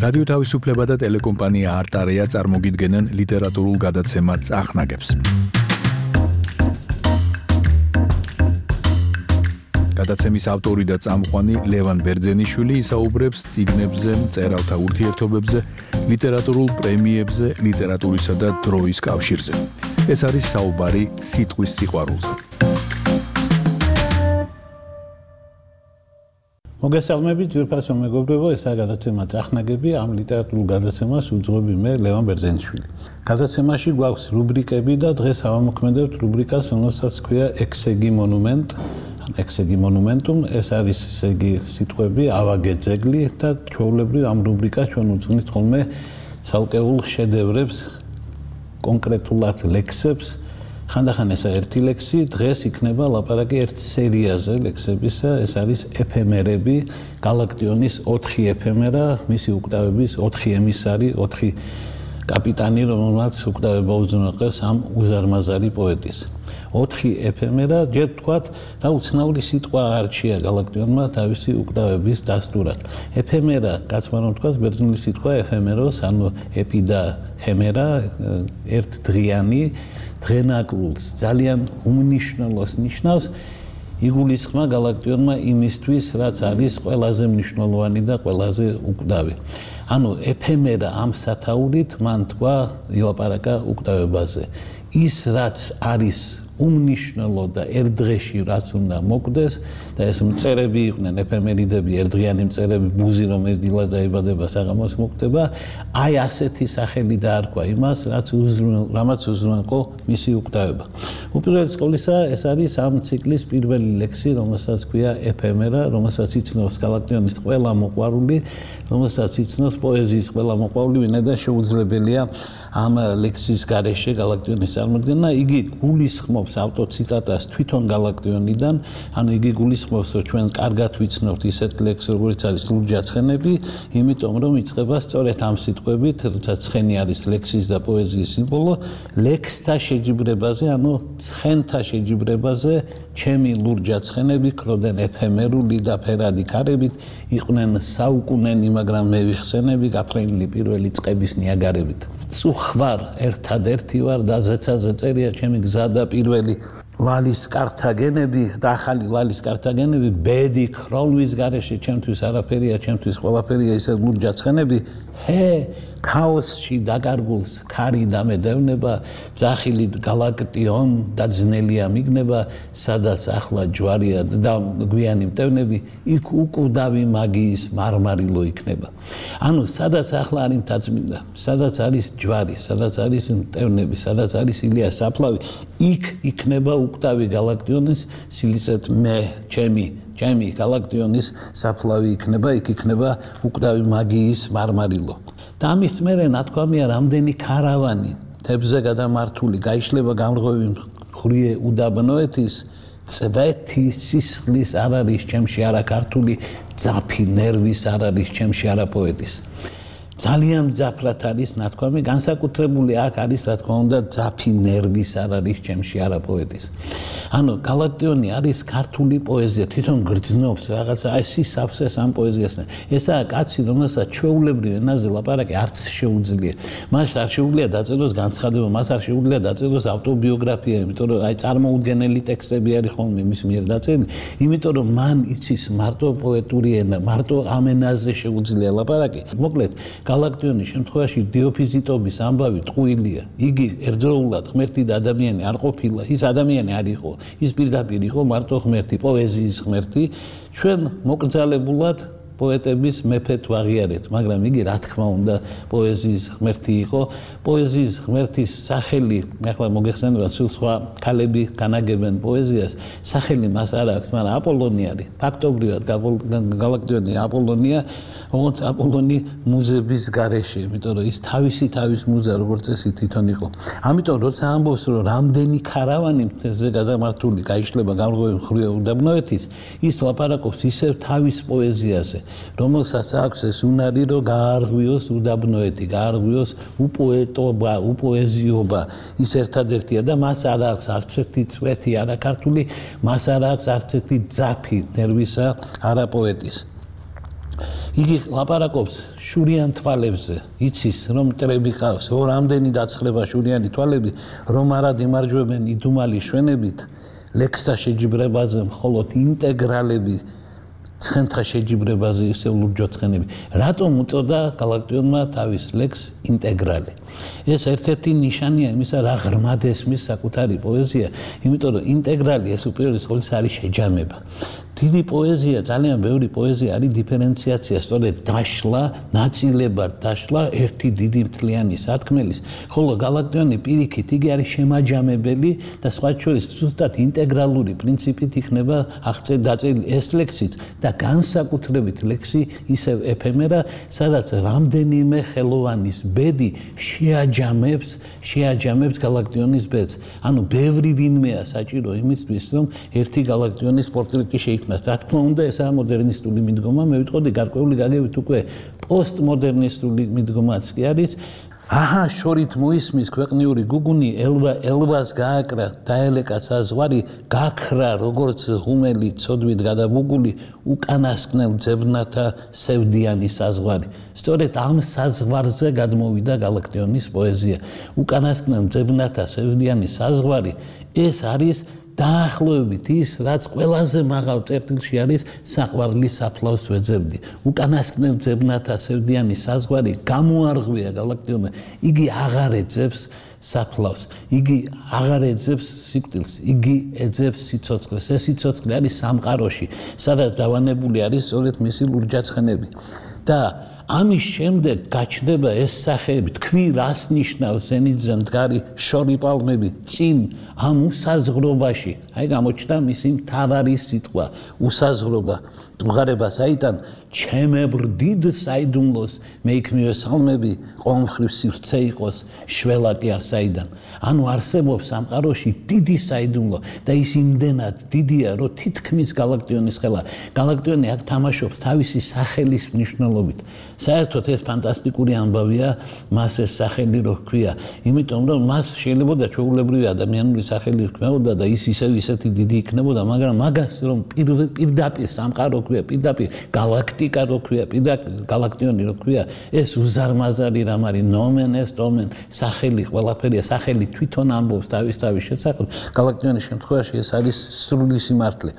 რადიო თავისუფლება და ტელეკომპანია არტარია წარმოგიდგენენ ლიტერატურულ გადაცემა წახნაგებს. გადაცემის ავტორი და წამყვანი ლევან ბერძენიშვილი ისაუბრებს წიგნებზე, მწერალთა ურთიერთობებზე, ლიტერატურულ პრემიებზე, ლიტერატურისა და დროის კავშირზე. ეს არის საუბარი სიტყვის სიყვარულზე. მოგესალმებით, ძვირფასო მეგობრებო, ესაა გადაცემა წახნაგები, ამ ლიტერატურულ გადაცემას უძღვები მე ლევან ბერძენიშვილი. გადაცემაში გვაქვს რუბრიკები და დღეს ავამოქმედებთ რუბრიკას, რომელსაც ქვია ექსეგი მონუმენტუმ, ეს არის ესეგი სიტყვები, ავაგე ძეგლი და ჩვეულებრივ ამ რუბრიკას ჩვენ უძღვნით ხოლმე ცალკეულ შედევრებს, კონკრეტულად ლექსებს. ხანდახან ესა ერთი ლექსი, დღეს იქნება ლაპარაკი ერთ სერიაზე ლექსებისა, ეს არის ეფემერები, გალაქტიონის 4 ეფემერა, მისი უკტავების 4 ემისარი, 4 კაპიტანი, რომელმაც უკტავება უზრუნველყეს ამ უზარმაზარი პოეტის. 4 ეფემერა, ჯერ ვთქვათ, რა უცნაური სიტყვა არჩია გალაქტიონმა თავისი უკტავების დასტურად. ეფემერა, კაცმა რომ ვთქვათ, ბერძნული სიტყვა ეფემეროს, ანუ ეპი და ჰემერა, ერთ დღიანი დღენაკლულს ძალიან უმნიშვნელოს ნიშნავს, იგულისხმა გალაქტიონმა იმისთვის, რაც არის ყველაზე მნიშვნელოვანი და ყველაზე უკტავი. ანუ ეფემერა ამ სათაურით მან თქვა ილაპარაკა უკტავებაზე. ის რაც არის უმნიშვნელო და ერთ დღეში რაც უნდა მოკვდეს და ეს მწერები იყვნენ ეფემერიდები, ერთდღიანი მწერები, ბუზი რომელიც დილას დაიბადება, საღამოს მოკვდება, აი ასეთი სახელი დაარქვა იმას, რამაც უზრუნველყო მისი უკტავება. უპირველეს ყოვლისა, ეს არის ამ ციკლის პირველი ლექსი, რომელსაც ქვია ეფემერა, რომელსაც იცნობს გალაქტიონის ყველა მოყვარული, რომელსაც იცნობს პოეზიის ყველა მოყვარული, ვინაიდან შეუძლებელია ამ ლექსის გარეშე გალაქტიონის წარმოდგენა. იგი გულისხმობს ავტოციტატას თვითონ გალაქტიონიდან, ანუ იგი გულისხმობს, რომ ჩვენ კარგად ვიცნობთ ისეთ ლექსს, როგორც არის ლურჯაცხენები, იმიტომ რომ იწყება სწორედ ამ სიტყვებით, როცა ცხენი არის ლექსის და პოეზიის სიმბოლო, ლექსთა შეჯიბრებაზე, ანუ ცხენთა შეჯიბრებაზე, ჩემი ლურჯაცხენები ქროდნენ ეფემერული და ფერადი ქარებით, იყვნენ საუკუნენი, მაგრამ მე ვიხსენები, გაფრენილი პირველი წყების ნიაგარებით. წუხვარ ერთადერთი ვარ და ზეცაზე წერია ჩემი გზა და პირველი ვალის კართაგენები და ახალი ვალის კართაგენები, ბედი ქროლვის გარეშე ჩემთვის არაფერია, ჩემთვის ყველაფერია ისე ლურჯაცხენები, ქაოსში დაკარგულს ქარი დამედევნება, ძახილით გალაქტიონ და ძნელია მიგნება, სადაც ახლა ჯვარია და გვიანი მტევნები, იქ უკვდავი მაგიის მარმარილო იქნება. ანუ სადაც ახლა არის მთაწმინდა, სადაც არის ჯვარი, სადაც არის მტევნები, სადაც არის ილია საფლავი, იქ იქნება უკვდავი გალაქტიონის, სილიცეთ მე, ჩემი გალაქტიონის საფლავი იქნება, იქ იქნება უკვდავი მაგიის მარმარილო. და ამის მერე ნათქვამია რამდენი ქარავანი თებზე გადამართული გაიშლება გამრღვევი მხრიე უდაბნოეთის, წვეთი სისხლის არ არის ჩემში არა ქართული, ძაფი ნერვის არ არის ჩემში არა პოეტის. ძალიან ძაფრად არის ნათქვამი, განსაკუთრებული აქ არის რა თქმა უნდა ძაფი ნერვის არ არის ჩემში არა პოეტის. ანუ გალაქტიონი არის ქართული პოეზია, თვითონ გრძნობს რაღაცა ეს სავსეს ამ პოეზიასთან. ესაა კაცი, რომელსაც ჩვეულებრივ ენაზე ლაპარაკი არც შეუძლია. მას არ შეუძლია დაწეროს განცხადება, მას არ შეუძლია დაწეროს ავტობიოგრაფია, იმიტომ რომ აი წარმოუდგენელი ტექსტები არის ხოლმე მის მიერ დაწერილი, იმიტომ რომ მან იცის მარტო პოეტური ენა, მარტო ამ ენაზე შეუძლია ლაპარაკი. მოკლედ გალაქტიონის შემთხვევაში დიოფიზიტობის ამბავი ტყუილია. იგი ერთდროულად ღმერთი და ადამიანი არ ყოფილა, ის ადამიანი არ იყო, ის პირდაპირ იყო მარტო ღმერთი, პოეზიის ღმერთი. ჩვენ მოკრძალებულად პოეტების მეფეთ ვაღიარეთ, მაგრამ იგი რა თქმა უნდა პოეზიის ღმერთი იყო. პოეზიის ღმერთის სახელი, ახლა მოგეხსენება, სულ სხვა ქალები განაგებენ პოეზიას, სახელი მას არ აქვს, მაგრამ აპოლონი არის. ფაქტობრივად გალაქტიონი აპოლონია, როგორც აპოლონი მუზების გარეშე, იმიტომ რომ ის თავის მუზა როგორც წესი თვითონ იყო. ამიტომ როცა ამბობს, რომ რამდენი ქარავანი თებზე გადამართული გაიშლება გამრღვევი მხრიე უდაბნოეთის, ის ლაპარაკობს ისევ თავის პოეზიაზე, რომელსაც აქვს ეს უნარი, რომ გაარღვიოს უდაბნოეთი, გაარღვიოს უპოეტობა, უპოეზიობა, ის ერთადერთია და მას არ აქვს არც ერთი წვეთი არა ქართული, მას არ აქვს არც ერთი ძაფი ნერვისა არა პოეტის. იგი ლაპარაკობს შურიან თვალებზე, იცის რომ მტრები ყავს, რამდენი დაცხლება შურიანი თვალები, რომ არა იმარჯვებენ იდუმალი შვენებით, ლექსთა შეჯიბრებაზე მხოლოდ ინტეგრალები ცხენთა შეჯიბრებაზე ისევ ლურჯო ცხენები. რატომ უწოდა გალაქტიონმა თავის ლექს ინტეგრალი? ეს ერთ-ერთი ნიშანია იმისა, რა ღრმად ესმის საკუთარი პოეზია, იმიტომ რომ ინტეგრალი ეს უპირველეს ყოვლისა არის შეჯამება. დიდი პოეზია, ძალიან ბევრი პოეზია არის დიფერენციაცია, სწორედ დაშლა, ნაწილებად დაშლა ერთი დიდი მთლიანი სათქმელის, ხოლო გალაქტიონი პირიქით იგი არის შემაჯამებელი და სხვა შორის ზუსტად ინტეგრალური პრინციპით იქნება დაწერილი ეს ლექსიც და განსაკუთრებით ლექსი ისევ ეფემერა, სადაც რამდენიმე ხელოვანის ბედი შეაჯამებს გალაქტიონის ბედს. ანუ ბევრი ვინმეა საჭირო იმისთვის, რომ ერთი გალაქტიონის პორტრეტი შეიქმნას. რა თქმა უნდა, ესაა მოდერნისტული მიდგომა, მე ვიტყოდი გარკვეული გაგებით უკვე პოსტმოდერნისტული მიდგომაც კი არის. აჰა, შორით მოისმის ქვეყნიური გუგუნი, ელვას გააკრა, დაელეკა საზღვარი, გაქრა როგორც ღუმელი ცოდვით გადაბუგული, უკანასკნელ ძებნათა სევდიანი საზღვარი. სწორედ ამ საზღვარზე გადმოვიდა გალაქტიონის პოეზია. უკანასკნელ ძებნათა სევდიანი საზღვარი ეს არის დაახლოებით ის, რაც ყველაზე მაღალ წერტილში არის საყვარლის საფლავს ვეძებდი. უკანასკნელ ძებნათა სევდიანი საზღვარი გამოარღვია გალაქტიონმა. იგი აღარ ეძებს საფლავს, იგი აღარ ეძებს სიკვდილს, იგი ეძებს სიცოცხლეს. ეს სიცოცხლე არის სამყაროში, სადაც დავანებული არის სწორედ მისი ლურჯაცხენები. და ამის შემდეგ გაჩნდება ეს სახეები, თქვი რას ნიშნავს ზენიტზე მდგარი შორი პალმები წინ ამ უსაზღრობაში. აი გამოჩნდა მისი მთავარი სიტყვა, უსაზღრობა. მღარება საიდან ჩემებრ დიდ საიდუმლოს მე იქმნიო სალმები, ყოველმხრივ სივრცე იყოს, შველა კი არ საიდან. ანუ არსებობს სამყაროში დიდი საიდუმლო და ის იმდენად დიდია, რომ თითქმის გალაქტიონის ხელა. გალაქტიონი აქ თამაშობს თავისი სახელის მნიშვნელობით. საერთოდ ეს ფანტასტიკური ამბავია, მას ეს სახელი რო ჰქვია, იმიტომ რომ მას შეიძლება ჩვეულებრივი ადამიანური სახელი ჰქმეოდა და ის ისეთი დიდი იქნებოდა, მაგრამ მაგას რომ პირდაპირ სამყარო ჰქვია, პირდაპირ გალაქტიკა რო ჰქვია, პირდაპირ გალაქტიონი რო ჰქვია, ეს უზარმაზარი რამ არის, ნომენ ეს ნომენ, სახელი ყველაფერია, სახელი თვითონ ამბობს თავის შესახებ. გალაქტიონის შემთხვევაში ეს არის სრული სიმართლე.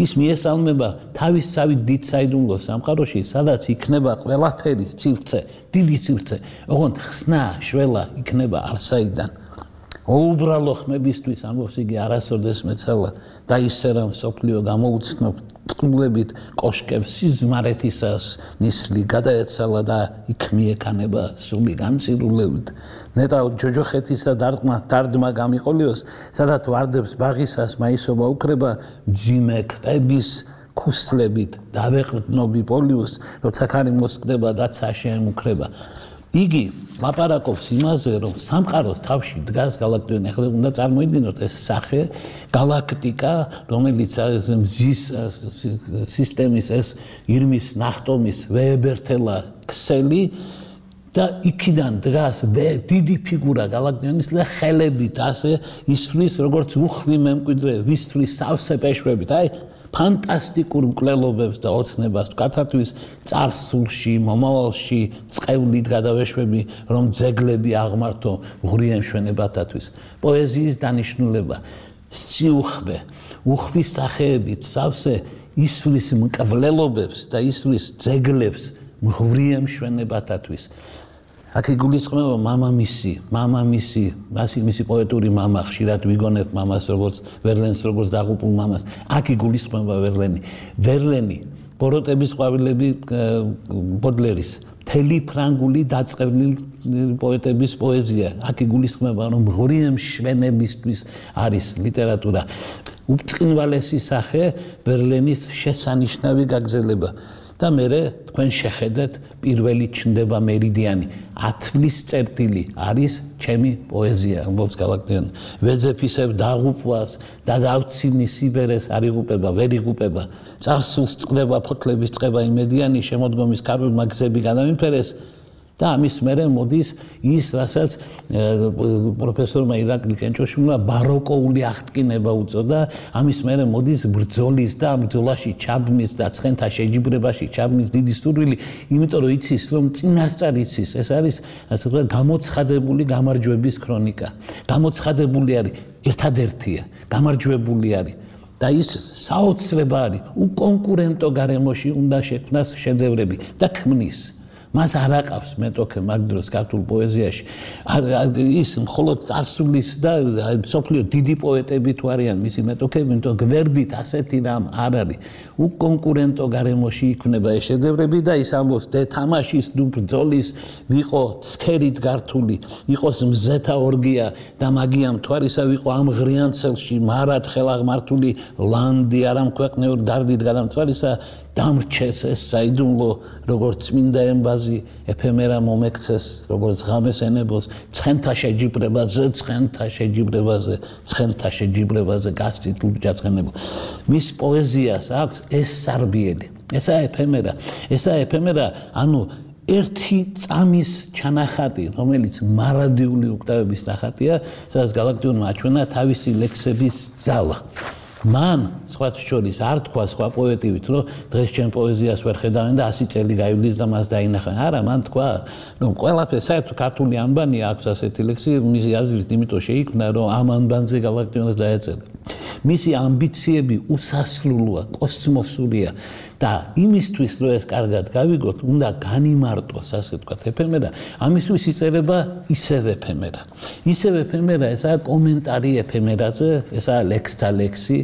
ის მიესალმება თავისსავით დიდ საიდუმლოს სამყაროში, სადაც იქნება ყველაფერი ცივცე, დიდი ცივცე, ოღონდ ხსნა, შველა იქნება არსაიდან. ოუბრალო ხმებისთვის ამბობს იგი არასოდეს მეცალა და ისე რომ სოფლიო გამოუცნობ წყლებით კოშკებს სიზმარეთისას ნისლი გადაეცალა და იქ მიეკანება სული განცირულებით. ნეტა ჯოჯოხეთისა დარდმა გამიყოლიოს, სადაც ვარდებს ბაღისას მაისობა უკრება მძიმე ქვების ქუსლებით დავეყრდნობი პოლიუს, როცა ქარი მოსკდება და ცა შეემუქრება. იგი ლაპარაკობს იმაზე, რომ სამყაროს თავში დგას გალაქტიონი. ახლა უნდა წარმოიდგინოთ ეს სახე, გალაქტიკა, რომელიც მზის სისტემის ეს ირმის ნახტომის ვეებერთელა ქსელი და იქიდან დგას დიდი ფიგურა გალაქტიონის და ხელებით ასე ისვლის როგორც უხვი მემკვიდრე ვისვლის სავსე პეშვებით. აი ფანტასტიკურ მკვლელობებს და ოცნებას ვკაცართვის წარსულში, მომავალში წყევლით გადავეშვები, რომ ძეგლები აღმართო ღრიე მშვენებათათვის. პოეზიის დანიშნულება, სიუხვე, უხვის სახეებით სავსე ისვლის მკვლელობებს და ისვლის ძეგლებს ღრიე მშვენებათათვის. აქ იგულისხმება მამამისი, მისი პოეტური მამა, ხშირად ვიგონებ მამას როგორც ვერლენს, როგორც დაღუპულ მამას. აქ იგულისხმება ვერლენი, ბოროტების ყვავილები ბოდლერის, მთელი ფრანგული დაწყევლილი პოეტების პოეზია. აქ იგულისხმება, რომ ღრიე მშვენებისთვის არის ლიტერატურა. უბწყინვალესი სახე ვერლენის შესანიშნავი გაგრძელება. და მერე თქვენ შეხედეთ პირველი ჩნდება მერიდიანი. ათვლის წერტილი არის ჩემი პოეზია, ამბობს გალაქტიონი. ვეძებ ისევ დაღუპვას და დავცინის სიბერეს არ იღუპება, ვერ იღუპება. წარსულს წყდება ფოთლების წყება იმედიანი, შემოდგომის ქარებმა გზები გადამიფერეს. და ამის მერე მოდის ის, რასაც პროფესორმა ირაკლი კენჭოშვილმა ბაროკოული აღტკინება უწოდა, ამის მერე მოდის ბრძოლის და ამ ბრძოლაში ჩაბმის და ცხენთა შეჯიბრებაში ჩაბმის დიდი სურვილი, იმიტომ რომ იცის, რომ წინასწარ იცის, ეს არის ასე ვთქვათ გამოცხადებული გამარჯვების ქრონიკა. გამოცხადებული არის ერთადერთია, გამარჯვებული არის. და ის საოცრება არის უკონკურენტო გარემოში უნდა შექმნას შედევრები და ქმნის. მას არ აყავს მეტოქე მაგ დროს ქართულ პოეზიაში. ის მხოლოდ წარსულის და სოფლიო დიდი პოეტები თუ არიან მისი მეტოქები, იმიტომ გვერდით ასეთი რამ არ არის. უკონკურენტო გარემოში იქმნება ეს შედევრები და ის ამბობს თამაშის დუ ბრძოლის ვიყო ცქერით გართული, იყოს მზეთა ორგია და მაგია მთვარისა ვიყო ამ ღრიანცელში მარად ხელაღმართული ლანდი არ ამქვეყნეურ დარდით გადამთვალისა დამრჩეს ეს საიდუმლო როგორც წმინდა ემბაზი ეფემერა მომექცეს როგორც ღამეს ენებოს ცხენთა შეჯიბრებაზე გასცით ლურჯაცხენებო მის პოეზიას აქვს ეს სარბიელი ესაა ეფემერა ანუ ერთი წამის ჩანახატი რომელიც მარადიული ოქტავების ნახატია სადაც გალაქტიონმა აჩვენა თავისი ლექსების ძალა მან სხვა შორის არ თქვა სხვა პოეტივით რომ დღეს ჩემ პოეზიას ვერ ხედავენ და 100 წელი გაივლის და მას დაინახავენ არა მან თქვა რომ ყველაფერი საერთოდ ქართული ანბანი აქვს ასეთი ლექსი მისი აზრით იმიტომ შეიქმნა რომ ამ ანბანზე გალაქტიონას დაეწერა მისი ამბიციები უსასრულოა კოსმოსურია და იმისთვის რომ ეს კარგად გავიგოთ უნდა განიმარტოს ასე ვთქვათ ეფემერა ამისთვის იწერება ისევ ეფემერა ესაა კომენტარი ეფემერაზე ესაა ლექსთა ლექსი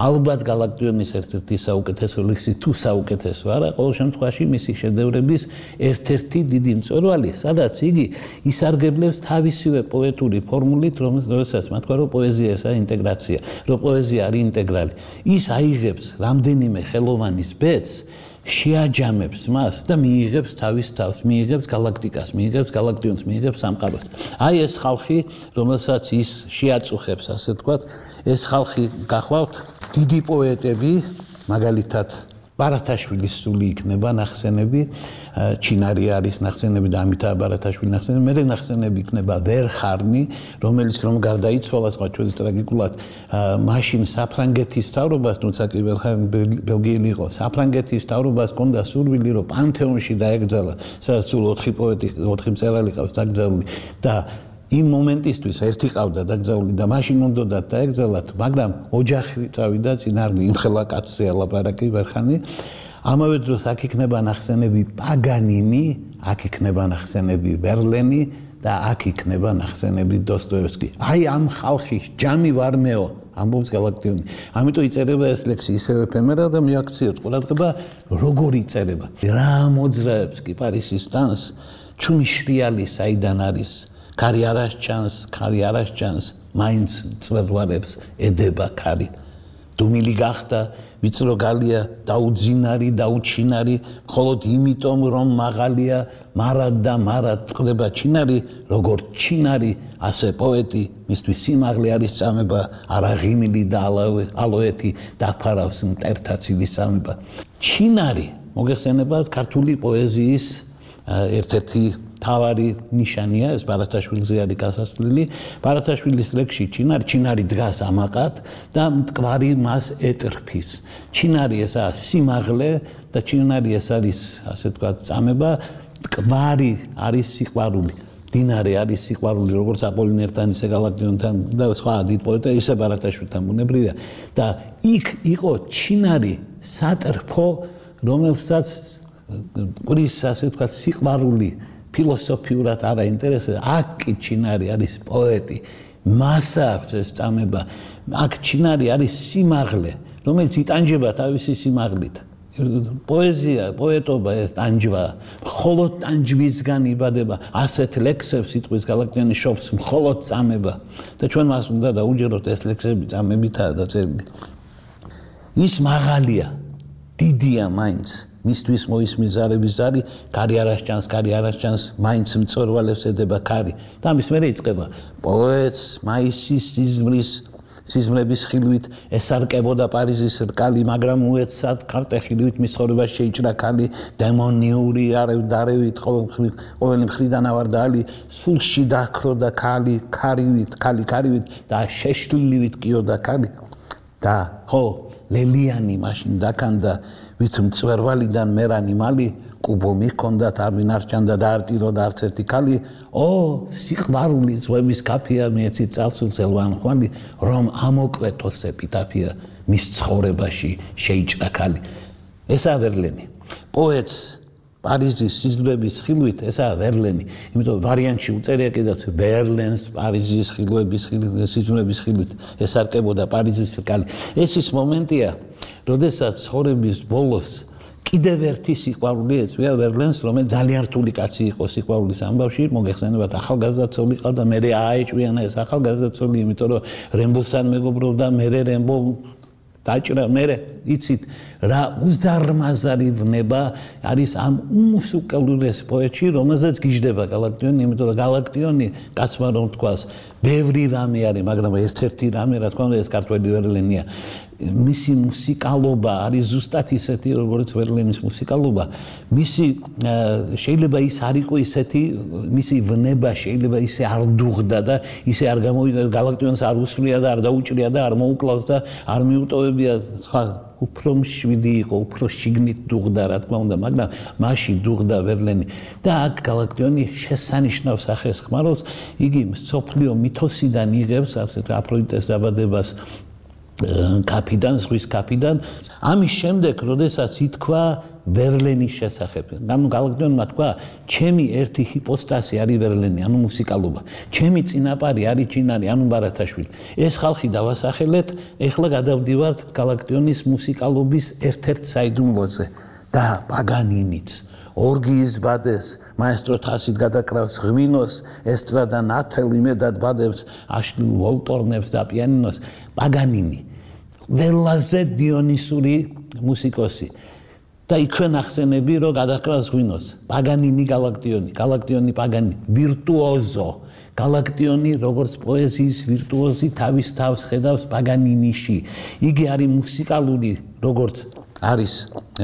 ალბათ გალაქტიონის ერთ-ერთი საუკეთესო ლექსი თუ საუკეთესო არა ყოველ შემთხვევაში მისი შედევრების ერთ-ერთი დიდი მწვერვალი სადაც იგი ისარგებლებს თავისივე პოეტური ფორმულით რომელსაც თქვა რომ პოეზია ესაა ინტეგრაცია რომ პოეზია არის ინტეგრალი ის აიღებს რამდენიმე ხელოვანის ბედს შეაჯამებს მას და მიიღებს თავის თავს მიიღებს გალაქტიკას მიიღებს გალაქტიონს მიიღებს სამყაროს აი ეს ხალხი რომელსაც ის შეაწუხებს ასე ვთქვათ ეს ხალხი გახლავთ დიდი პოეტები მაგალითად ბარათაშვილის სული იქნება ნახსენები ჩინარი არის ნახსენები და ამითაა ბარათაშვილი ნახსენები მე ნახსენები იქნება ვერხარნი რომელიც რომ გარდაიცვალა სხვა ჩვენს ტრაგიკულად მაშინ საფრანგეთის მთავრობას თუმცა კი ვერხარნი ბელგიელი იყო საფრანგეთის მთავრობას ჰქონდა სურვილი რომ პანთეონში დაეგზალა სადაც სულ 4 პოეტი 4 მწერალი ყავს დაკრძალული და იმ მომენტისთვის ერთი ყავდა დაკრძალული და მაშინ უნდა დაეგზალათ მაგრამ ოჯახი წავიდა წინარნი იმხელა კაცზე ალაპარაკი ვერხანი ამავე დროს აქ იქნება ნახსენები პაგანინი აქ იქნება ნახსენები ვერლენი და აქ იქნება ნახსენები დოსტოევსკი აი ამ ხალხის ჯამი ვარ მეო ამბობს გალაქტიონი ამიტომ იწერება ეს ლექსი ისევ ეფემერა და მიაქციოთ ყურადღება როგორ იწერება რა მოძრაობს კი პარიზის დანს ჩუმი შრიალი საიდან არის ქარი არას ჩანს მაინც წვერვარებს ედება ქარი დუმილი გახდა ვიწრო გალია დაუძინარი დაუჩინარი მხოლოდ იმიტომ რომ მაღალია მარად წყდება ჩინარი როგორ ჩინარი ასე პოეტი მისთვის სიმაღლე არის წამება არა ღიმილი და ალოეთი დაფარავს მტერთა ცილის წამება ჩინარი მოგეხსენებათ ქართული პოეზიის ერთ-ერთი თავარი ნიშანია ეს ბარათაშვილზე არის გასასვლელი ბარათაშვილის ლექსში ჩინარი დგას ამაყად და მტკვარი მას ეტრფის ჩინარი ესაა სიმაღლე და ჩინარი ეს არის ასე ვთქვათ წამება მტკვარი არის სიყვარული დინარე არის სიყვარული როგორც აპოლინერთან ისე გალაქტიონთან და სხვა დიდ პოეტებთან ისე ბარათაშვილთან ბუნებრივია და იქ იყო ჩინარი სატრფო რომელსაც ყრის ასე ვთქვათ სიყვარული ფილოსოფიურად არა ინტერესებს აქ კი ჩინარი არის პოეტი მას აქვს ეს წამება აქ ჩინარი არის სიმაღლე რომელიც იტანჯება თავისი სიმაღლით პოეზია პოეტობა ეს ტანჯვა მხოლოდ ტანჯვისგან იბადება ასეთ ლექსებს სიტყვის გალაქტიონი შობს მხოლოდ წამება და ჩვენ მას უნდა დაუჯეროთ ეს ლექსები წამებითაა დაწერილი ის მაღალია დიდია მაინც მისთვის მოისმის ზარების ზარი ქარი არას ჩანს მაინც მწვერვალებს ედება ქარი და ამის მერე იწყება პოეტს მაისის სიზმრის სიზმრების ხილვით ესარკებოდა პარიზის რკალი, მაგრამ უეცად ქარტეხილივით მის ცხოვრებას შეიჭრა ქალი, დემონიური არევით ყოველი მხრიდან ავარდალი, სულში დააქროდა ქალი, ქარივით და შეშლილივით კიოდა ქალი და ხო ლელიანი მაშინ დაკანდა, ვით მწვერვალიდან მერანი მალი კუბო მიქონდათ არ ვინარჩანდა და არტიროდა არც ერთი ქალი სიყვარული ზღვების კაფია მეცი წალსულცელვან ხვალი რომ ამოკვეთოს ეპიტაფია მის ცხოვრებაში შეიჭრა ქალი ესაა ვერლენი პოეტს პარიზის სიზმრების ხილვით ესაა ვერლენი იმიტომ ვარიანტში უწერია კიდეც ვერლენს პარიზის ხილვების სიზმრების ხილვით ესარკებოდა პარიზის რკალი ეს ის მომენტია როდესაც ცხოვრების ბოლოს კიდევ ერთი სიყვარული ეწვია ვერლენს, რომელიც ძალიან რთული კაცი იყო სიყვარულის ამბავში, მოგეხსენებათ ახალგაზრდა ცოლი ყავდა, მერე აეჭვიანა ეს ახალგაზრდა ცოლი, იმიტომ რომ რემბოსთან მეგობრობდა, მერე რემბო დაჭრა, მერე იცით რა უზარმაზარი ვნება არის ამ უმსუკელურეს პოეტში, რომელზეც გიждდება გალაქტიონი, იმიტომ რომ გალაქტიონი კაცმა რომ თქვას, ბევრი რამე არის, მაგრამ ერთ-ერთი რამე, რა თქმა უნდა, ეს ქართველი ვერლენია. მისი მუსიკალობა არის ზუსტად ისეთი, როგორც ვერლენის მუსიკალობა. მისი შეიძლება ის არ იყო ისეთი, მისი ვნება შეიძლება ისე არ დუღდა და ისე არ გამოვიდა გალაქტიონს არ უსვლია და არ დაუჭრია და არ მოუკლავს და არ მიუტოვებია სხვა უფრო მშვიდი იყო, უფრო შიგნით დუღდა, რა თქმა უნდა, მაგრამ მასში დუღდა ვერლენი და აქ გალაქტიონი შესანიშნავ სახეს ხმარობს, იგი მსოფლიო მითოსიდან იღებს ასეთ აფროდიტეს დაბადებას კაფიდან, ზღვის კაფიდან. ამის შემდეგ, როდესაც ითქვა ვერლენის შესახებ. ანუ გალაქტიონმა თქვა, ჩემი ერთი ჰიპოსტასი არის ვერლენი, ანუ მუსიკალობა. ჩემი წინაპარი არის ჩინარი, ანუ ბარათაშვილი. ეს ხალხი დავასახელეთ, ეხლა გადავდივართ გალაქტიონის მუსიკალობის ერთ-ერთ საიდუმლოზე და პაგანინიც. ორგიის ბადეს, მაესტრო თასით გადაკრავს ღვინოს, ესტრადა ნათელ იმედად ბადებს, აშლილ ვოლტორნებს და პიანინოს. პაგანინი, ყველაზე დიონისური მუსიკოსი. და იქვე ნახსენები, რომ გადაკრავს ღვინოს. პაგანინი გალაქტიონი, გალაქტიონი პაგანინი, ვირტუოზო. გალაქტიონი, როგორც პოეზიის ვირტუოზი, თავის თავს ხედავს პაგანინიში. იგი არის მუსიკალური, როგორც არის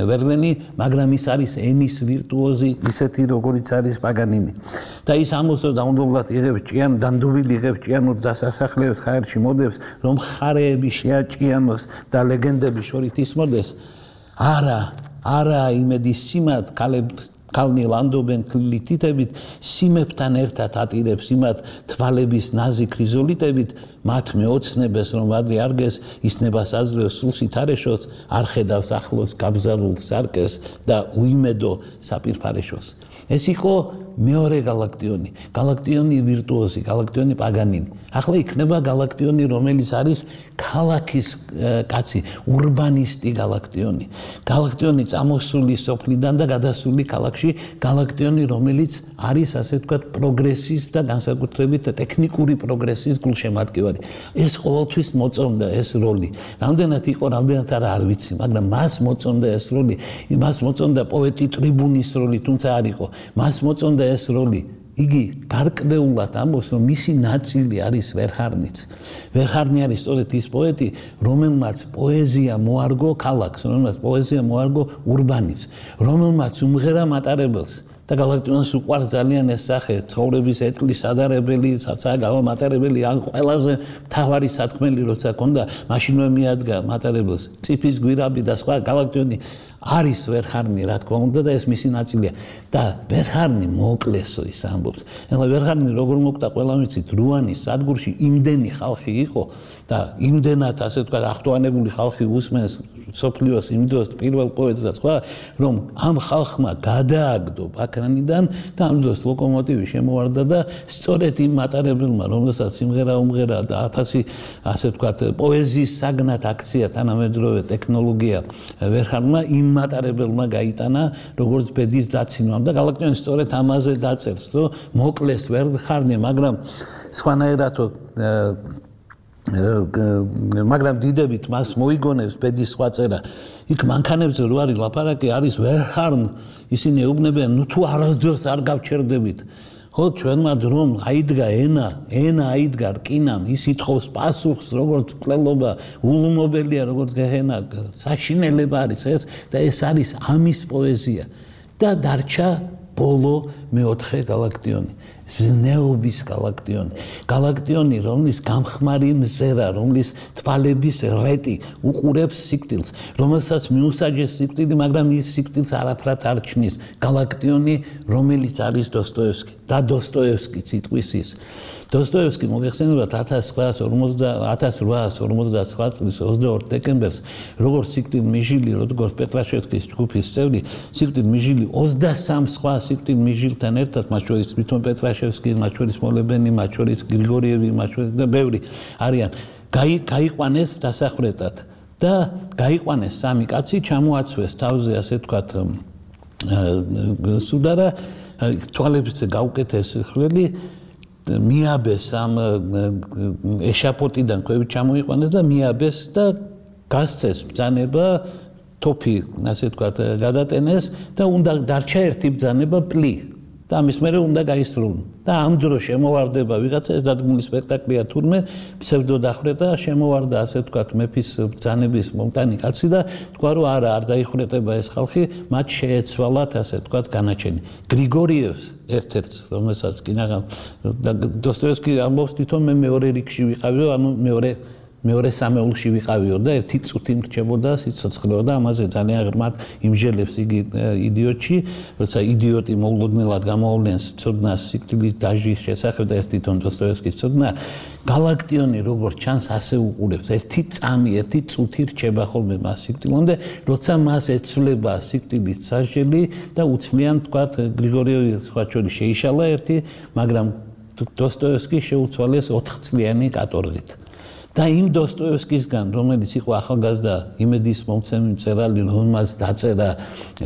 ვერლენი, მაგრამ ის არის ენის ვირტუოზი, ისეთი როგორიც არის პაგანინი. და ის ამოსო დაუნდობლად იღებს ჭიან, დანდურილი იღებს ჭიანურ დასასახლეებს, ხაერში მოდებს, რომ ხარეები შეაჭიანოს და ლეგენდების შორით ისმოდეს. არა იმედი სიმად ქალნი ლანდობენ თლილი თითებით, სიმებთან ერთად ატირებს იმათ თვალების ნაზი ქრიზოლიტებით, მათ მეოცნებას რომ ვადლი არგეს, ისნებას აძლევს სულსით არეშოს, არ ხედავს ახლოს გაბზარულ სარკეს და უიმედო საპირფარეშოს. ეს იყო მეორე გალაქტიონი, გალაქტიონი ვირტუოზი, გალაქტიონი პაგანინი. ახლა იქნება გალაქტიონი, რომელიც არის ქალაქის კაცი, ურბანისტი გალაქტიონი. გალაქტიონი წამოსული სოფლიდან და გადასული ქალაქში, გალაქტიონი, რომელიც არის ასე ვთქვათ პროგრესის და განსაკუთრებით ტექნიკური პროგრესის გულშემატკივარი. ეს ყოველთვის მოწონდა ეს როლი. რამდენად იყო, რამდენად არ ვიცი, მაგრამ მას მოწონდა ეს როლი, მას მოწონდა პოეტი ტრიბუნის როლი, თუმცა არ იყო. მას მოწონდა ეს როლი. იგი გარკვეულად ამბობს, რომ მისი ნაწილი არის ვერჰარნიც. ვერჰარნი არის სწორედ ის პოეტი, რომელმაც პოეზია მოარგო ქალაქს, რომელმაც პოეზია მოარგო ურბანიც, რომელმაც უმღერა მატარებელს. და გალაქტიონს უყვარს ძალიან ეს სახე, ცხოვრების ეტლის ადარებელი, საცაა გავამატარებელი, ან ყველაზე მთავარი სათქმელი როცა ქონდა, მაშინვე მიადგა მატარებელს, წიფის გვირაბი და სხვა. გალაქტიონი არის ვერჰარნი, რა თქმა უნდა, და ეს მისი ნაწილია. და ვერჰარნი მოკლესო ის ამბობს. ეხლა ვერჰარნი როგორ მოკვდა, ყველა ვიცით, რუანის სადგურში იმდენი ხალხი იყო და იმდენად, ასე ვთქვათ, ახტოვანებული ხალხი უსმენს სოფლიოს იმ დროს პირველ პოეტს და სხვა, რომ ამ ხალხმა გადააგდო ბაქრანიდან და ამ დროს ლოკომოტივი შემოვარდა და სწორედ იმ მატარებელმა, რომელსაც სიმღერა უმღერა და 1000 ასე ვთქვათ, პოეზიის საგნად აქცია თანამედროვე ტექნოლოგია ვერჰარნმა იმ მატარებელმა გაიტანა როგორც ბედის დაცინვამ და გალაქტიონი სწორედ ამაზე დაწერს, რომ მოკლეს ვერჰარნი, მაგრამ სხვანაირად მაგრამ დიდებით მას მოიგონებს ბედის სხვა წერა. იქ მანქანებზე რო არის ლაპარაკი, არის ვერჰარნ, ისინი ეუბნებიან, ნუ თუ არასდროს არ გავჩერდებით. ხო ჩვენმა რომ აიდგა ენა აიდგა რკინამ ის ითხოვს პასუხს როგორც მკვლელობა ულმობელია როგორც გეჰენა საშინელება არის ეს და ეს არის ამის პოეზია და დარჩა ბოლო მეოთხე გალაქტიონი ზნეობის გალაქტიონი რომლის გამხმარი მზერა რომლის თვალების რეტი უყურებს სიკვდილს რომელსაც მიუსაჯეს სიკვდილი მაგრამ ის სიკვდილს არაფრად არ ჩნის გალაქტიონი რომელიც არის დოსტოევსკი და დოსტოევსკი სიტყვის ის დოსტოევსკი მოგეხსენებათ 1859 წლის 22 დეკემბერს როგორც სიკვდილ მიჟილი როგორც პეტრაშევსკის ჯგუფის წევრი სიკვდილ მიჟილი 23 სხვა სიკვდილ მიჟილთან ერთად მათ შორის თვითონ პეტრაშევსკი მათ შორის მოლებენი მათ შორის გრიგორიევი მათ შორის და ბევრი არიან გაიყვანეს დასახრეტად და გაიყვანეს სამი კაცი ჩამოაცვეს თავზე ასე ვთქვათ სუდარა თვალებზე გაუკეთეს ხვრელი მიაბეს ამ ეშაპოტიდან ქვევით ჩამოიყვანეს და მიაბეს და გასცეს ბრძანება თოფი ასე ვთქვათ გადატენეს და უნდა დარჩა ერთი ბრძანება პლი და ამის მერე უნდა გაისრულონ და ამ დროს შემოვარდება ვიღაცა ეს დადგმული სპექტაკლია თურმე ფსევდო დახრეტა შემოვარდა ასე ვთქვათ მეფის ბრძანების მომტანი კაცი და თქვა რომ არა არ დაიხრეტება ეს ხალხი მათ შეეცვალათ ასე ვთქვათ განაჩენი გრიგორიევს ერთ-ერთს რომელსაც კინაღამ დოსტოევსკი ამბობს თვითონ მე მეორე რიგში ვიყავიო ანუ მეორე სამეულში ვიყავიო და ერთი წუთი მრჩებოდა სიცოცხლეო და ამაზე ძალიან ღრმად იმჟელებს იგი იდიოტში როცა იდიოტი მოულოდნელად გამოავლენს ცოდნას სიკვდილის დაჟის შესახებ და ეს თვითონ დოსტოევსკის ცოდნა გალაქტიონი როგორც ჩანს ასე უყურებს ერთი წამი ერთი წუთი რჩება ხოლმე მას სიკვდილამდე როცა მას ეცვლება სიკვდილის სასჯელი და უცვლიან თქვათ გრიგორიევი სხვა შორის შეიშალა ერთი მაგრამ დოსტოევსკი შეუცვალეს 4 წლიანი კატორღით და იმ დოსტოევსკისგან რომელიც იყო ახალგაზრდა იმედის მომცემი მწერალი რომელმაც დაწერა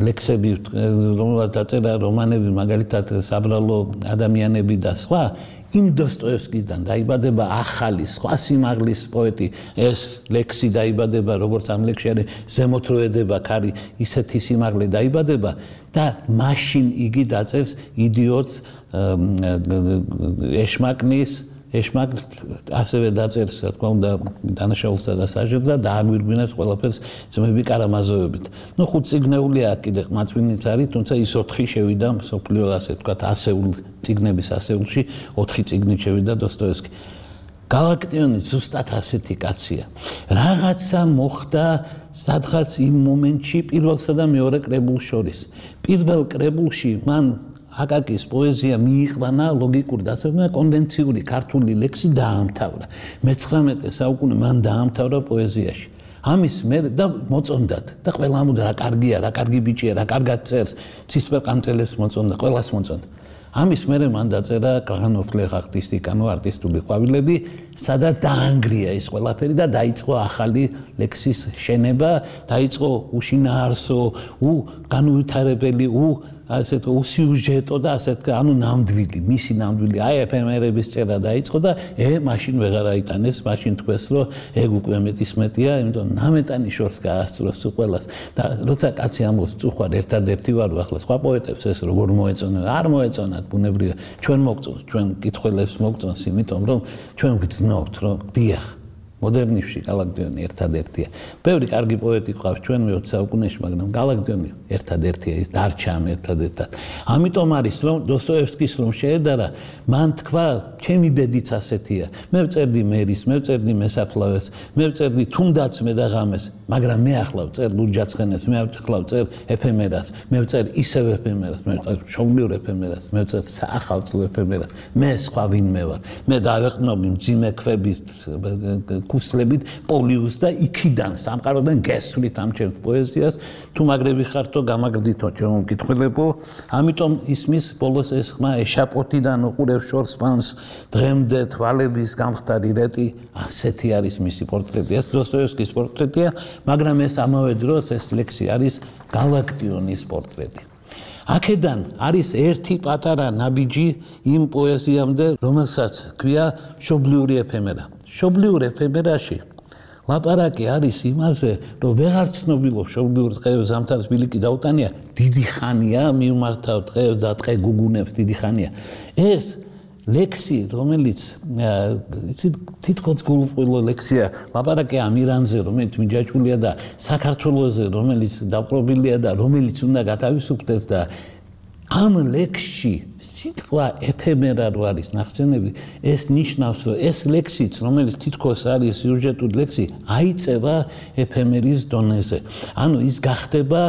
ლექსები რომელმაც დაწერა რომანები მაგალითად საბრალო ადამიანები და სხვა იმ დოსტოევსკისგან დაიბადება ახალი სხვა სიმაღლის პოეტი ეს ლექსი დაიბადება როგორც ამ ლექსში არის ზემოთროედება ქარი ისეთი სიმაღლე დაიბადება და მაშინ იგი დაწერს იდიოტს ეშმაკ ასევე დაწერს რა თქმა უნდა დანაშაულსა და სასჯელს და დააგვირგვინებს ყველაფერს ძმები კარამაზოვებით. ნუ 5 წიგნეულია კიდე მაწვინიც არის, თუმცა ის 4 შევიდა მსოფლიო ასე ვთქვათ ასეულ წიგნების ასეულში 4 წიგნით შევიდა დოსტოევსკი. გალაქტიონი ზუსტად ასეთი კაცია. რაღაცა მოხდა სადღაც იმ მომენტში პირველსა და მეორე კრებულს შორის. პირველ კრებულში მან აკაკის პოეზია მიიყვანა ლოგიკური დაწესება კონვენციური ქართული ლექსი დაამთავრა. მე-19 საუკუნე მან დაამთავრა პოეზიაში. ამის მერე და მოწონდათ და ყველა ამბობდა რა კარგია, რა კარგი ბიჭია, რა კარგად წერს, ცისფერყანწელებს მოწონდა, ყველას მოწონდა. ამის მერე მან დაწერა კრაღანოვ-ფლეხ არტისტიკანო არტისტული ყვავილები, სადაც დაანგრია ეს ყველაფერი და დაიწყო ახალი ლექსის შენება, დაიწყო უშინაარსო, განუვითარებელი, ასეთ უსიუჟეტო და ასეთ ანუ ნამდვილი, მისი ნამდვილი აი ეფემერების წერა დაიწყო და მაშინ ვეღარ აიტანეს, მაშინ თქვეს რომ ეგ უკვე მეტისმეტია, იმიტომ ნამეტანი შორს გაასწროს ყველას და როცა კაცი ამბობს წუხარ ერთადერთი ვარ ახლა სხვა პოეტებს ეს როგორ მოეწონა, არ მოეწონათ ბუნებრივია, ჩვენ მოგწონს, ჩვენ კითხველებს მოგწონს, იმიტომ რომ ჩვენ გძნობთ რომ დიახ მოდერნიზმში გალაქტიონი ერთადერთია. ბევრი კარგი პოეტი ყავს ჩვენ მე-20 საუკუნეში, მაგრამ გალაქტიონი ერთადერთია, ის დარჩა ამ ერთადერთად. ამიტომ არის რომ დოსტოევსკის რომ შეედარა, მან თქვა, ჩემი ბედიც ასეთია. მე ვწერდი მერის, მე ვწერდი მესაფლავეს, მე ვწერდი თუნდაც მე და ღამეს, მაგრამ მე ახლა ვწერ ლურჯაცხენეს, მე ახლა ვწერ ეფემერას, მე ვწერ ისევ ეფემერას, მე ვწერ მშობლიურ ეფემერას, მე ვწერ საახალწლო ეფემერას. მე სხვა ვინმე ვარ. მე დავეყნობი მძიმე ქვების კუსლებით პოლიუს და იქიდან სამყაროდან გესვლით ამ ჩემს პოეზიას თუ მაგრები ხართო გამაგრდითო ჩემო მკითხველებო ამიტომ ისმის ბოლოს ეს ხმა ეშაპოტიდან უყურებს შორს პანს დღემდე თვალების გამხდარი რეტი ასეთი არის მისი პორტრეტი ეს დოსტოევსკის პორტრეტია მაგრამ ეს ამავე დროს ეს ლექსი არის გალაქტიონის პორტრეტი აქედან არის ერთი პატარა ნაბიჯი იმ პოეზიამდე რომელსაც ქვია მშობლიური ეფემერა მშობლიურ ეფემერაში ლაპარაკი არის იმაზე, რომ ვეღარ ცნობილობ მშობლიურ დღეებს ზამთარს ბილიკი დაუტანია, დიდი ხანია მიმართავ დღეებს და დღე გუგუნებს დიდი ხანია. ეს ლექსი, რომელიც თითქოს გულუყვილო ლექსია, ლაპარაკი ამ ირანზე, რომელიც მიჯაჭვულია და საქართველოზე, რომელიც დაპყრობილია და რომელიც უნდა გათავისუფლდეს და ამ ლექსში სიტყვა ეფემერა რო არის ნახსენები, ეს ნიშნავს, რომ ეს ლექსიც, რომელიც თითქოს არის სიუჟეტური ლექსი, აიწევა ეფემერის დონეზე. ანუ ის გახდება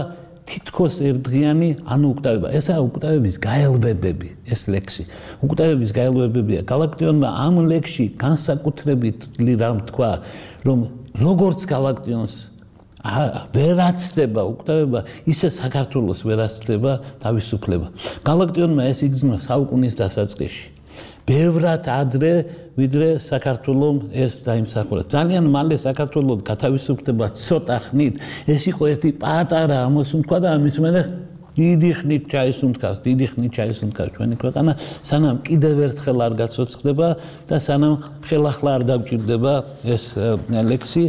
თითქოს ერთდღიანი, ანუ უკტავება. ესაა უკტავების გაელვებები, ეს ლექსი. უკტავების გაელვებებია. გალაქტიონმა ამ ლექსში განსაკუთრებით რამ თქვა, რომ როგორც გალაქტიონს ვერაცდება უკტავება, ისე საქართველოს ვერაცდება თავისუფლება. გალაქტიონმა ეს იგრძნო საუკუნის დასაწყისში. ბევრად ადრე, ვიდრე საქართველომ ეს დაიმსახურა. ძალიან მალე საქართველოს გათავისუფლება ცოტა ხნით, ეს იყო ერთი პატარა ამოსუნთქვა და ამის მერე დიდი ხნით ჩაისუნთქავს ჩვენი ქვეყანა, სანამ კიდევ ერთხელ არ გაცოცხლდება და სანამ ხელახლა არ დავჭირდება ეს ლექსი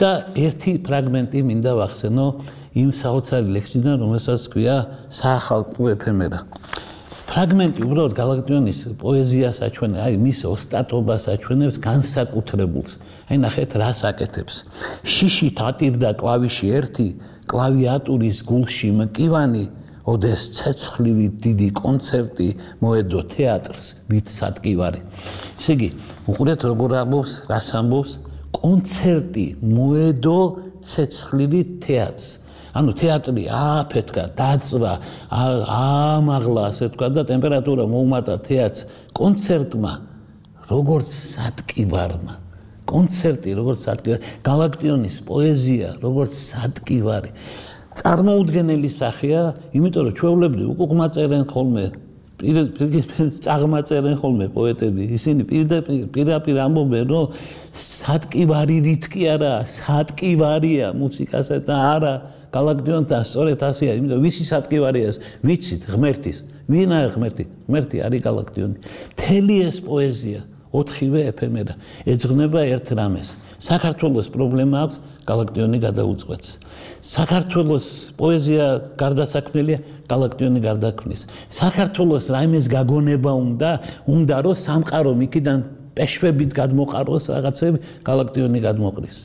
და ერთი ფრაგმენტი მინდა ვახსენო იმ საოცარი ლექსიდან, რომელსაც ქვია საახალწლო ეფემერა. ფრაგმენტი უბრალოდ გალაქტიონის პოეზიას აჩვენებს, აი მის ოსტატობას აჩვენებს განსაკუთრებულს. აი ნახეთ რას აკეთებს. შიშით ატირდა კლავიში ერთი, კლავიატურის გულში მკივანი, ოდეს ცეცხლივი დიდი კონცერტი მოედო თეატრს, ვით სატკივარი. ესე იგი, უყურეთ როგორ ამბობს, რას ამბობს, კონცერტი მოედო ცეცხლივი თეატრს. ანუ თეატრი ააფეთქა, დაწვა, აამაღლა, ასე თქვა და ტემპერატურა მოუმატა თეატრს კონცერტმა, როგორც სატკივარმა. კონცერტი როგორც სატკივარი, გალაქტიონის პოეზია როგორც სატკივარი. წარმოუდგენელი სახეა, იმიტომ რომ ჩვეულებრივ უკუღმა წერენ ხოლმე, წაღმა წერენ ხოლმე პოეტები, ისინი პირდაპირ ამბობენ, რომ სატკივარივით კი არა, სატკივარია მუსიკასა და არა გალაქტიონთან სწორედ ასეა, იმიტომ ვისი სატკივარია ეს, ვიცით ღმერთის, ვინაა ღმერთი? ღმერთი არის გალაქტიონი. მთელი ეს პოეზია, 4-ვე ეფემერა, ეძღვნება ერთ რამეს. საქართველოს პრობლემა აქვს, გალაქტიონი გადაუწყვეტს. საქართველოს პოეზია გარდასაქმნელია, გალაქტიონი გარდაქმნის. საქართველოს რაიმეს გაგონება უნდა რომ სამყარო იქიდან პეშვებით გადმოყაროს რაღაცები, გალაქტიონი გადმოყრის.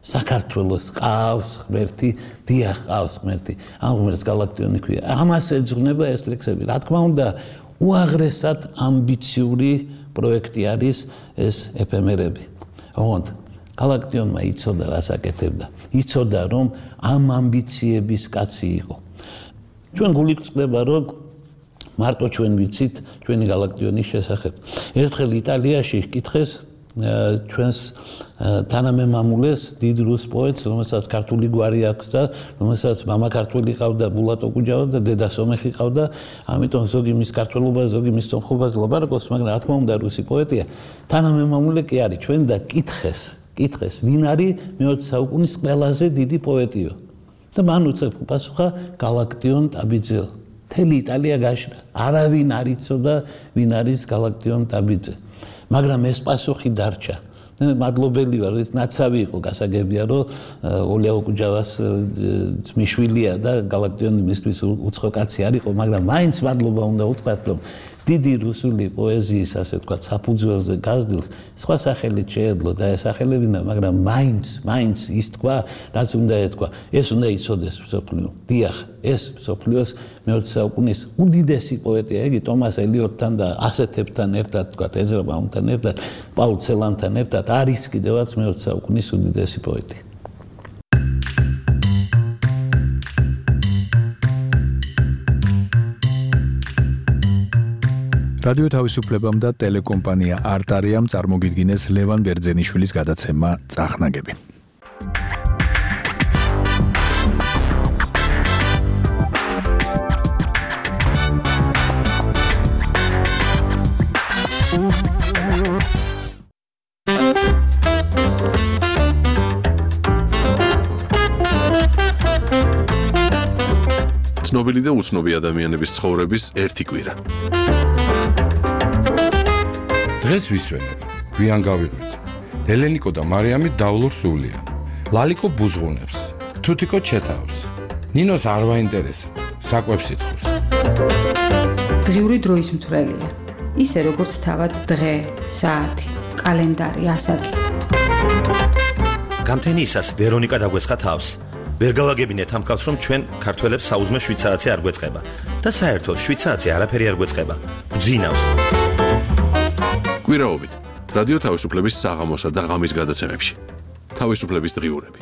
საქართველოს ყავს ღმერთი, დიახ ყავს ღმერთი. ამ ღმერთს გალაქტიონი ქვია. ამას ეძღვნება ეს ლექსები. რა თქმა უნდა, უაღრესად ამბიციური პროექტი არის ეს ეფემერები. ოღონდ გალაქტიონმა იცოდა რას აკეთებდა. იცოდა რომ ამ ამბიციების კაცი იყო. ჩვენ გულით წდება რომ მარტო ჩვენ ვიცით ჩვენი გალაქტიონის შესახებ. ერთხელ იტალიაში ჰკითხეს ჩვენს თანამემამულეს დიდ რუს პოეტს, რომელსაც ქართული გვარი აქვს და რომელსაც მამა ქართველი ყავდა, ბულატო კუჯავა და დედა სომეხი ყავდა, ამიტომ ზოგი მის ქართველობას, ზოგი მის სომხობას ლაპარაკობს, მაგრამ რა თქმა უნდა რუსი პოეტია. თანამემამულე კი არის ჩვენ და კითხეს, ვინ არის მე-20 საუკუნის ყველაზე დიდი პოეტიო. და მან უწევდა გალაქტიონ ტაბიძე. მთელი იტალია გაშრა. არავინ არ იცოდა ვინ არის გალაქტიონ ტაბიძე. მაგრამ ეს პასუხი დარჩა. მადლობელი ვარ, ეს ნაცავი იყო გასაგებია, რომ ოლეო კუჯავას ძმისშვილია და გალაქტიონი მისთვის უცხო კაცი არ იყო, მაგრამ მაინც მადლობა უნდა უთქვათ, რომ დიდი რუსული პოეზიის, ასე ვთქვათ, საფუძველზე გაზრდილს სხვა სახელით შეეძლო და ესახელებინა, მაგრამ მაინც ის თქვა, რაც უნდა ეთქვა. ეს უნდა იცოდეს მსოფლიო. დიახ, ეს მსოფლიოს მე-20 საუკუნის უდიდესი პოეტია, იგი ტომას ელიოტთან და ასეთებთან ერთად, ვთქვათ, ეზრა ბაუმთან ერთად, პაულ ცელანთან ერთად არის კიდევაც მე-20 საუკუნის უდიდესი პოეტი. რადიო თავისუფლებამ და ტელეკომპანია არტარიამ წარმოგიდგინეს ლევან ბერძენიშვილის გადაცემა წახნაგები. ცნობილი და უცნობი ადამიანების ცხოვრების ერთი კვირა. დღეს ვისვენებ, გვიან გავიღვიძე. ელენიკო და მარიამი დავლურ სულიან. ლალიკო ბუზღუნებს, თუთიკო ჩეთავს. ნინოს არ ვაინტერესებს, საკვებს ითხოვს. დღიური დროის მთვრელია. ისე როგორც თავად დღე, საათი, კალენდარი, ასაკი. გამთენიისას ვერონიკა დაგვესხა თავს. ვერ გავაგებინეთ ამ კაცს, რომ ჩვენ ქართველებს საუზმე შვიცარაცი არ გვეწყება და საერთოდ შვიცარაცი არაფერი არ გვეწყება. გძინავს. კვირაობით რადიო თავისუფლების საღამოსა და ღამის გადაცემებში. თავისუფლების დღიურები.